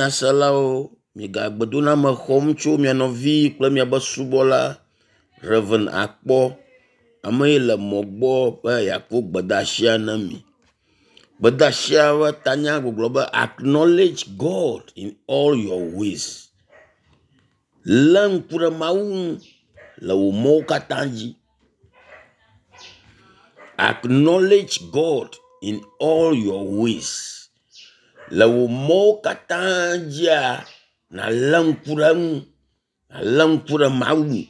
Nyaselawo, miga gbedoname xɔm tso mia nɔvi kple miaƒe subɔla Rev. Akpɔ. Ame yi le mɔ gbɔ be yeakɔ gbedeasia na mi. Gbedeasia ƒe tanya gbɔgblɔ be acknowledge God in all your ways. Lé ŋku ɖe Mawu ŋu le wò mɔwo katã dzi. Acknowledge God in all your ways. Le wò mɔwo katã dzia, nàlé ŋku ɖe eŋu, nàlé ŋku ɖe Mawu ŋu.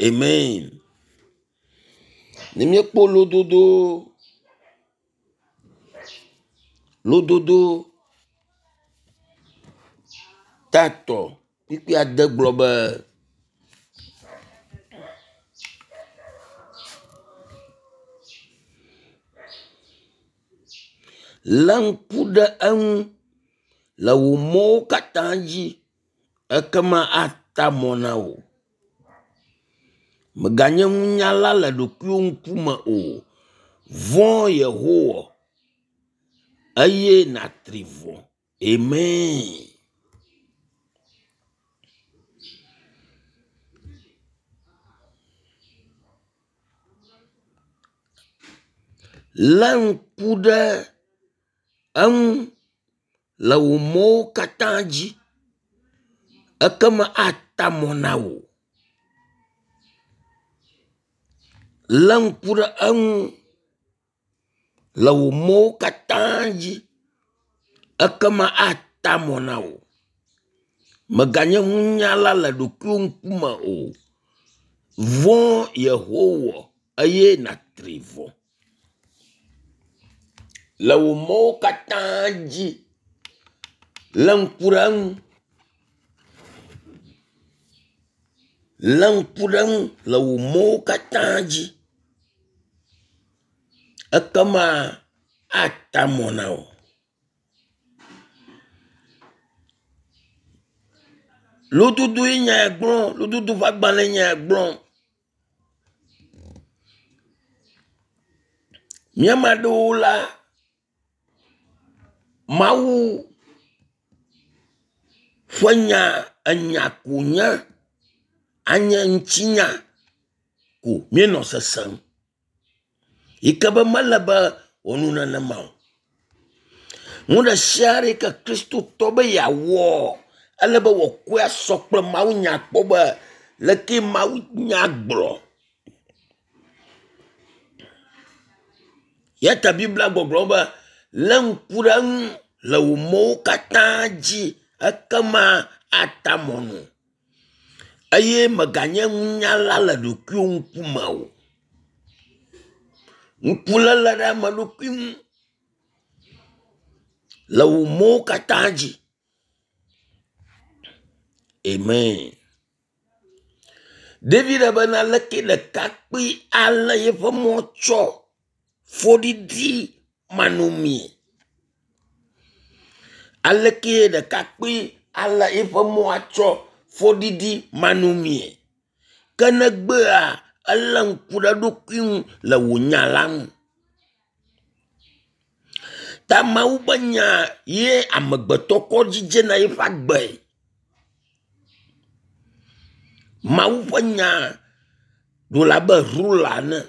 Amen. Ne míekpɔ lododo lododo tatɔ kpukpui ade gblɔ be Lé ŋku ɖe eŋu le wò mɔwo katã dzi ekema ata mɔ na wò. Mèganye nunyala le ɖokuiwò ŋkume o. Vɔ̃ Yehowa eye nàtri vɔ̃. Amen. Lé ŋku ɖe eŋu le wò mɔwo katã dzi ekema ata mɔ na wò. Lé ŋku ɖe eŋu le wò mɔwo katã dzi ekema ata mɔ na wò. Mèganye nunyala le ɖokuiwò ŋkume o. Vɔ̃ Yehowa eye nàtri vɔ̃. Le wò mɔwo katã dzi, lé ŋku ɖe eŋu. Lé ŋku ɖe eŋu le wò mɔwo katã dzi. Ekema ata mɔ na wò. Lododoe nya ya gblɔ, lododo ƒe agbalẽ nya ya gblɔ. Mía ame aɖewo la, Mawu ƒe nya enya ko nye anye ŋutinya ko míenɔ sesem yi ke be mele be wòanɔ nenema o. Nu ɖe sia ɖe yi ke kristotɔ be yeawɔ ele be wòakɔe asɔ kple mawunya kpɔ be leke mawunya gblɔ. Ya ta Biblia gbɔgblɔ be lé ŋku ɖe eŋu le wò mɔwo katã dzi ekema ata mɔnu eye mèganye nunyala le ɖokuiwò ŋkume o. Ŋkuléle ɖe ame ɖokui ŋu le wò mɔwo katã dzi. Amen. David bena leke ɖekakpui alé yeƒe mɔ tsɔ fɔɖiɖi manɔmee. Aleke ɖekakpui alé eƒe mɔ atsɔ fɔɖiɖi manɔmee. Ke ne egbea, elé ŋku ɖe eɖokui ŋu le wò nya la ŋu. Ta Mawu ƒe nya ye amegbetɔ kɔ dzidzena eƒe agbe. Mawu ƒe nya ɖo la abe rula ene.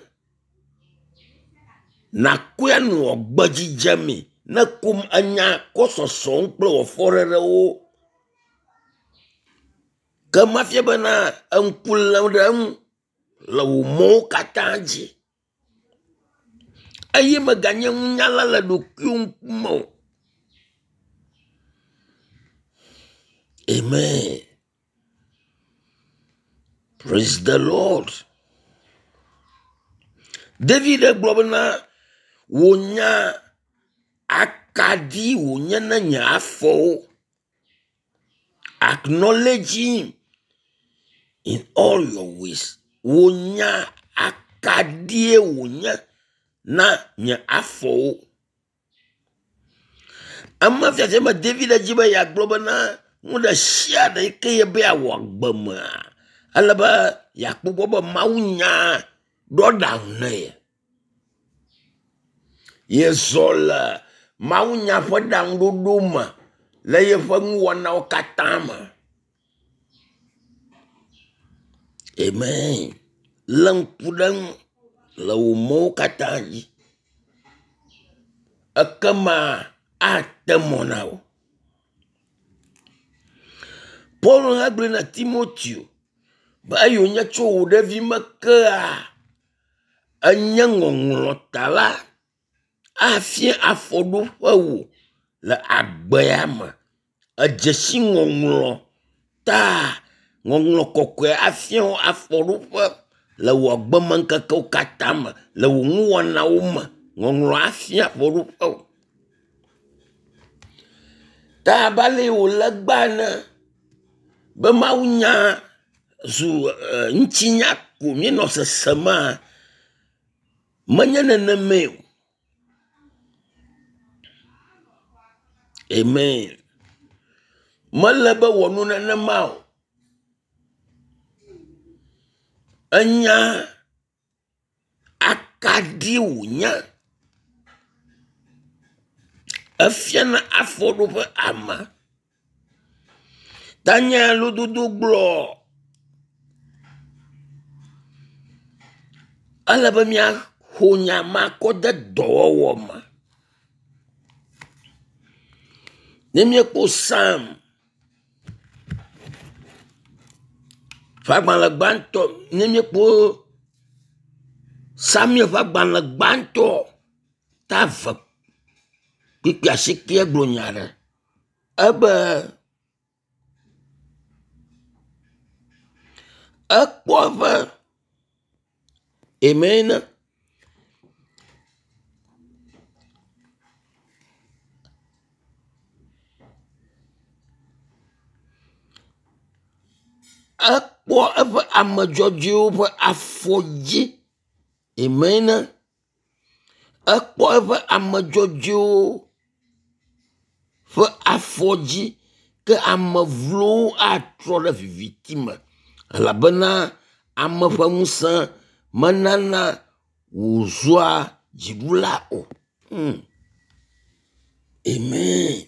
Nàkɔe anɔ gbe dzidzemee ne kom enya kɔ sɔsɔm kple wò afɔɖeɖewo. Ke mafia bena eŋku lém ɖe eŋu le wò mɔwo katã dzi eye mèganye nunyala le ɖokuiwò ŋkume o. Amen. Praise the Lord. David gblɔ bena wò nya akaɖi wònye na nye afɔwo. Acknowledge him in all your ways. Wò nya akaɖie wònye na nye afɔwo. Ema fiafia me David dzi be yeagblɔ bena nu ɖe sia ɖe yi ke yebe yeawɔ agbe mea, ele be yeakpɔ gbɔ be Mawu nya ɖɔ ɖaŋu na ye. Yezɔ le mawunya ƒe ɖaŋuɖoɖo me le yeƒe nuwɔnawo katã me. Amen. Lé ŋku ɖe eŋu le wò mɔwo katã dzi. Ekema ate mɔ na wò. Paulo hã gblɔe na Timoteo be eyi wònye tso wò ɖevime kea, enye ŋɔŋlɔ ta la, afia afɔɖoƒe wò le agbea me. Edze si ŋɔŋlɔ ta ŋɔŋlɔ kɔkɔe afia wò afɔɖoƒe le wò agbemeŋkekewo katã me, le wò nuwɔnawo me. Ŋɔŋlɔ afia afɔɖoƒe wò. Ta abe ale wòle egbea ene be mawunya zu e, ŋutinya ko míenɔ sesemaa, menye nenemae o. Amen. Mele be wɔ nu nenema o. Enya akaɖi wònye. Efiana afɔɖoƒe ame. Tanya lododo gblɔ ele be míaxɔ nya ma kɔ de dɔwɔwɔ me. Ne míekpɔ Psalm ƒe agbalẽ gbãtɔ, ne míekpɔ Samuel ƒe agbalẽ gbãtɔ ta eve kpukpui asiekea gblɔ nya aɖe. Ebe ekpɔ eƒe amen. Ekpɔ eƒe ame dzɔdzɔewo ƒe afɔ dzi. Amen. Ekpɔ eƒe ame dzɔdzɔewo ƒe afɔ dzi ke ame vlowo atrɔ ɖe viviti me elabena ame ƒe ŋusẽ menana wòzua dziɖula o. Hmm. Amen.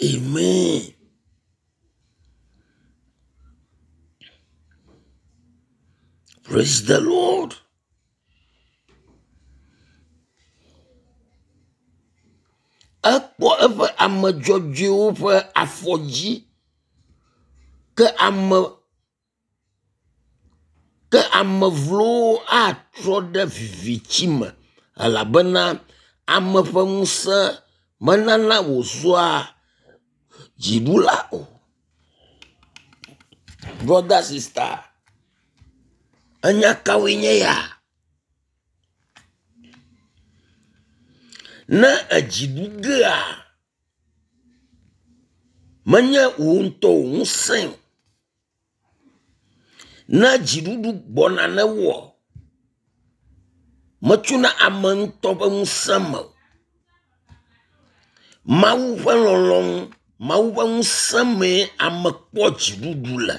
Amen. Praise the Lord. Ekpɔ eƒe ame dzɔdzɔewo ƒe afɔ dzi ke ame ke ame vlowo atrɔ ɖe viviti me elabena ame ƒe ŋusẽ menana wòzua dziɖula o. Brother, sister, enya kawoe nye ya? Ne edzi ɖu gea, menye wò ŋutɔ wò ŋusẽe o. Ne dziɖuɖu gbɔna ne wɔ, metsona ame ŋutɔ ƒe ŋusẽ me o. Mawu ƒe lɔlɔ̃nu, Mawu ƒe ŋusẽ mee ame kpɔ dziɖuɖu le.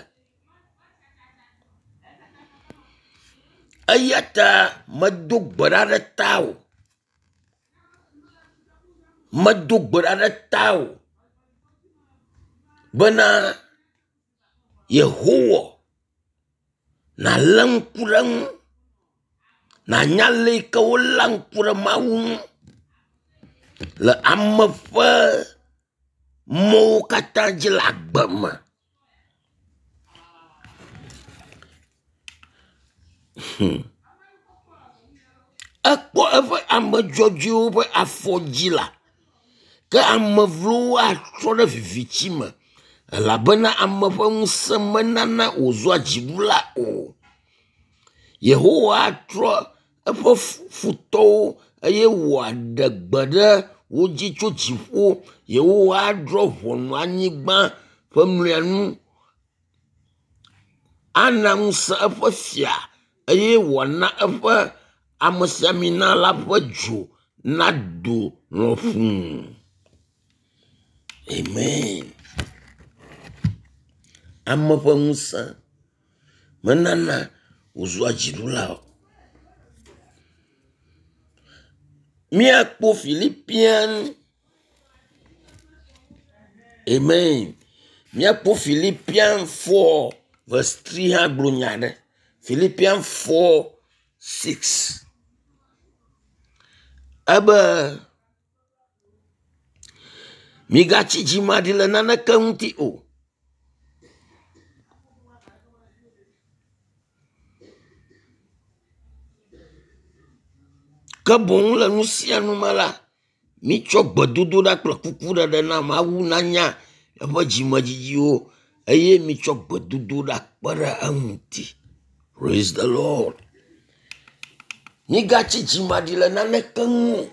Eya ta medo gbe ɖa ɖe tawò. Medo gbe ɖa ɖe tawò bena Yehowa nàlé ŋku ɖe eŋu, nànya ale yi ke woléa ŋku ɖe Mawu ŋu le ame ƒe mɔwo katã dzi le agbe me. Hmm. Ekpɔ eƒe ame dzɔdzɔewo ƒe afɔ dzi la, ke ame vlowo atrɔ ɖe viviti me elabena ame ƒe ŋusẽ menana wòzua dziɖula o. Yehowa atrɔ eƒe futɔwo eye wòaɖe gbe ɖe wo dzi tso dziƒo. Yehowa adrɔ̃ ʋɔnu anyigba ƒe mlɔenu. Ana ŋusẽ eƒe fia eye wòana eƒe amesiamina la ƒe dzo nado lɔƒuu. Amen. Ame ƒe ŋusẽ menana wòzua dziɖula o. Míakpɔ Philippian Amen. Míakpɔ Philippian 4 verse 3 hã gblɔ nya aɖe. Philippian 4 6. Ebe migatsi dzimaɖi le naneke ŋuti o. Ke boŋ le nu sia nu me la, mitsɔ gbedodoɖa kple kukuɖeɖe na Mawu nanya eƒe dzimedzidziwo eye mitsɔ gbedodoɖa kpe ɖe eŋuti. Praise the Lord. Migatsi dzimaɖi le naneke ŋu o.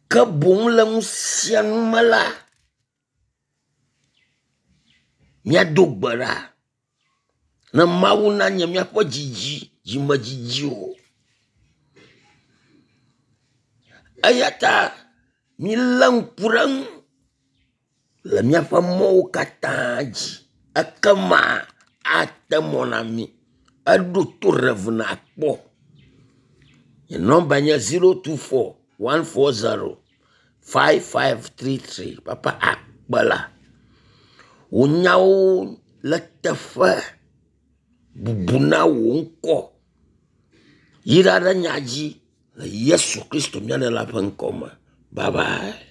Ke boŋ le nu sia nu me la, míado gbe ɖa ne Mawu nanye míaƒe dzidzi, dzimedzidzi o. Eya ta milé ŋku ɖe eŋu le míaƒe mɔwo katã dzi ekema ate mɔ na mí. Eɖo to Rev. Akpɔ. Nye nɔmba nye 024 140 5533. Papa akpe la. Wò nyawo le teƒe bubu na wò ŋkɔ. Yra ɖe nya dzi le Yesu Kristo mía Ɖela ƒe ŋkɔ me. Bye bye.